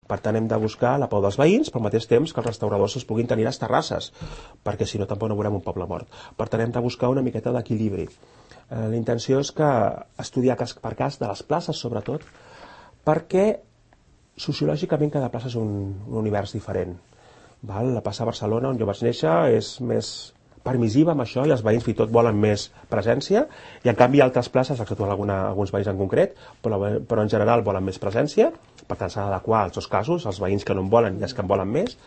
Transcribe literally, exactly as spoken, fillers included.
Per tant, hem de buscar la pau dels veïns, però al mateix temps que els restauradors es puguin tenir les terrasses, perquè si no tampoc no veurem un poble mort. Per tant, hem de buscar una miqueta d'equilibri. Eh, la intenció és que estudiar cas per cas, de les places sobretot, perquè sociològicament cada plaça és un, un univers diferent. Val? La plaça de Barcelona, on jo vaig néixer, és més permissiva amb això i els veïns fins i tot volen més presència, i en canvi altres places, exceptuant alguna, alguns veïns en concret, però, però en general volen més presència. Per tant, s'ha d'adequar als dos casos, els veïns que no en volen i els que en volen més.